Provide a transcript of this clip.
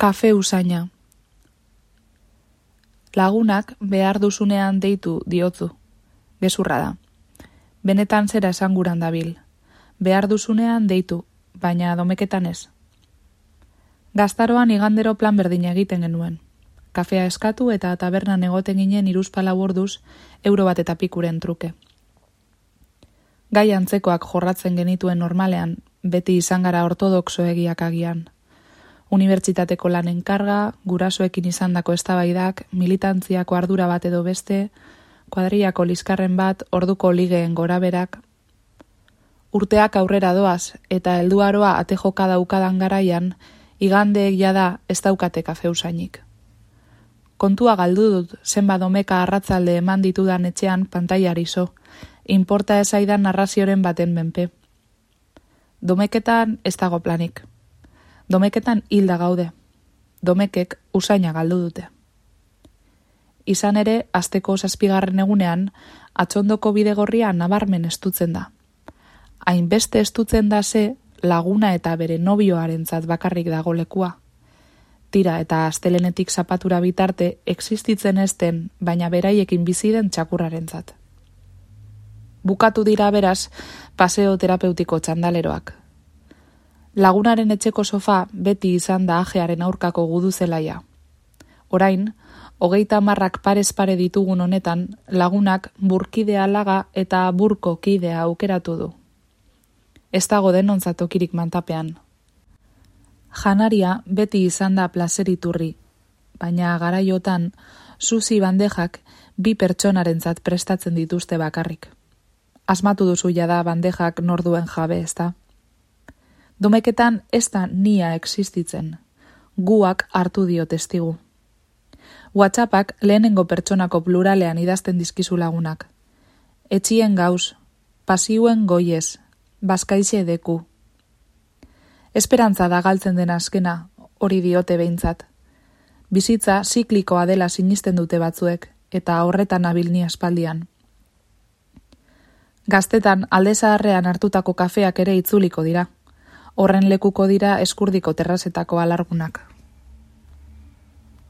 Kafe usaina. Lagunak behar duzunean deitu diotzu. Gezurra da. Benetan zera esanguran dabil. Behar duzunean deitu, baina domeketan ez. Gaztaroan igandero plan berdina egiten genuen. Kafea eskatu eta tabernan egoten ginen 3-4 orduz €1 truke. Gai antzekoak jorratzen genituen normalean, beti izan gara ortodoxoegiak agian. Unibertsitateko lanen karga, gurasoekin izandako eztabaidak, militantziako ardura bat edo beste, kuadrillako liskarren bat, orduko ligeen goraberak. Urteak aurrera doaz eta helduaroa ate joka daukadan garaian, igandeek jada ez daukate kafe usainik. Kontua galdu dut zenba domeka arratzalde eman ditudan etxean pantailari zo, inporta ezaidan narrazioren baten menpe. Domeketan ez dago planik. Domeketan hilda gaude. Domekek usaina galdu dute. Izan ere, asteko 7. egunean, atxondoko bidegorria nabarmen estutzen da. Hainbeste estutzen da ze, laguna eta bere nobioarentzat bakarrik dago lekua. Tira eta astelenetik zapatura bitarte existitzen ezten, baina beraiekin bizi den txakurrarentzat. Bukatu dira beraz, paseo terapeutiko txandaleroak. Lagunaren etxeko sofa beti izan da ajearen aurkako guduzelaia. Orain, 30 parez pare ditugun honetan, lagunak burkidea laga eta burko kidea aukeratu du. Ez dago denontzat tokirik mantapean. Janaria beti izan da plazeriturri, baina garaiotan sushi bandejak 2 pertsonarentzat prestatzen dituzte bakarrik. Asmatu duzu jada bandejak norduen jabe, ezta? Domeketan ez da nia existitzen. Guak hartu dio testigu. WhatsAppak lehenengo pertsonako pluralean idazten dizkizu lagunak. Etxien gauz, pasiuen goiez, bazkaixe deku. Esperantza da galtzen den azkena, hori diote behintzat. Bizitza ziklikoa dela sinisten dute batzuek, eta horretan nabil ni aspaldian. Gaztetan alde zaharrean hartutako kafeak ere itzuliko dira. Horren lekuko dira eskurdiko terrazetako alargunak.